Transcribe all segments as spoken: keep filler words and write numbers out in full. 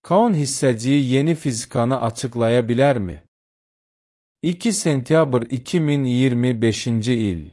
Kaon hissəciyi yeni fizikanı açıqlaya bilərmi? iki sentyabr iki min iyirmi beşinci il.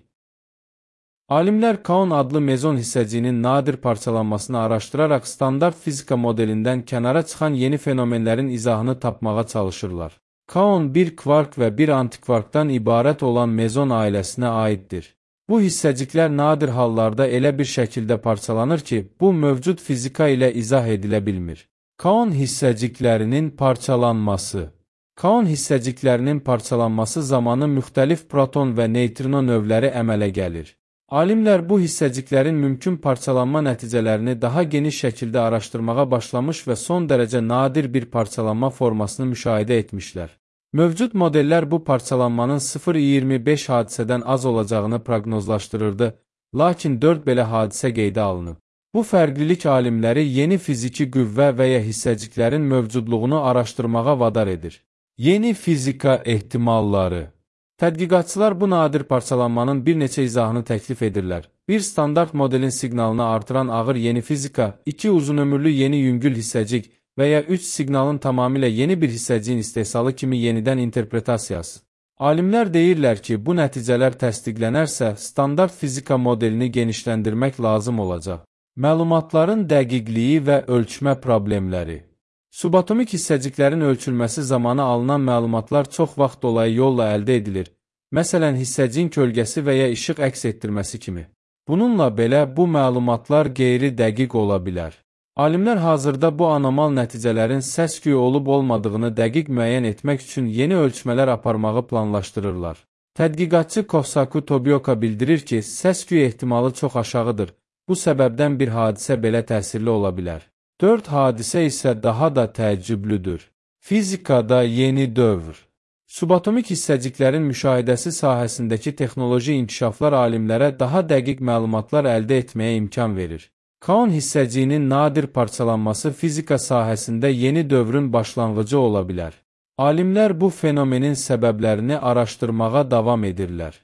Alimlər kaon adlı mezon hissəciyinin nadir parçalanmasını araşdıraraq standart fizika modelindən kənara çıxan yeni fenomenlərin izahını tapmağa çalışırlar. Kaon bir kvark və bir antikvarkdan ibarət olan mezon ailəsinə aiddir. Bu hissəciklər nadir hallarda elə bir şəkildə parçalanır ki, bu mövcud fizika ilə izah edilə bilmir. Kaon hissəciklərinin parçalanması. Kaon hissəciklərinin parçalanması zamanı müxtəlif proton və neytrino növləri əmələ gəlir. Alimlər bu hissəciklərin mümkün parçalanma nəticələrini daha geniş şəkildə araşdırmağa başlamış və son dərəcə nadir bir parçalanma formasını müşahidə etmişlər. Mövcud modellər bu parçalanmanın sıfır nöqtə iyirmi beş hadisədən az olacağını proqnozlaşdırırdı, lakin dörd belə hadisə qeydə alınıb. Bu fərqlilik alimləri yeni fiziki qüvvə və ya hissəciklərin mövcudluğunu araşdırmağa vadar edir. Yeni fizika ehtimalları. Tədqiqatçılar bu nadir parçalanmanın bir neçə izahını təklif edirlər. Bir standart modelin siqnalını artıran ağır yeni fizika, iki uzunömürlü yeni yüngül hissəcik və ya üç siqnalın tamamilə yeni bir hissəciyin istehsalı kimi yenidən interpretasiyası. Alimlər deyirlər ki, bu nəticələr təsdiqlənərsə, standart fizika modelini genişləndirmək lazım olacaq. Məlumatların dəqiqliyi və ölçmə problemləri. Subatomik hissəciklərin ölçülməsi zamanı alınan məlumatlar çox vaxt dolayı yolla əldə edilir. Məsələn, hissəciyin kölgəsi və ya işıq əks etdirməsi kimi. Bununla belə, bu məlumatlar qeyri-dəqiq ola bilər. Alimlər hazırda bu anormal nəticələrin səs-küy olub-olmadığını dəqiq müəyyən etmək üçün yeni ölçmələr aparmağı planlaşdırırlar. Tədqiqatçı Kosaku Tobioka bildirir ki, səs-küy ehtimalı çox aşağıdır. Bu səbəbdən bir hadisə belə təsirli ola bilər. Dörd hadisə isə daha da təəccüblüdür. Fizikada yeni dövr. Subatomik hissəciklərin müşahidəsi sahəsindəki texnoloji inkişaflar alimlərə daha dəqiq məlumatlar əldə etməyə imkan verir. Kaon hissəciyinin nadir parçalanması fizika sahəsində yeni dövrün başlanğıcı ola bilər. Alimlər bu fenomenin səbəblərini araşdırmağa davam edirlər.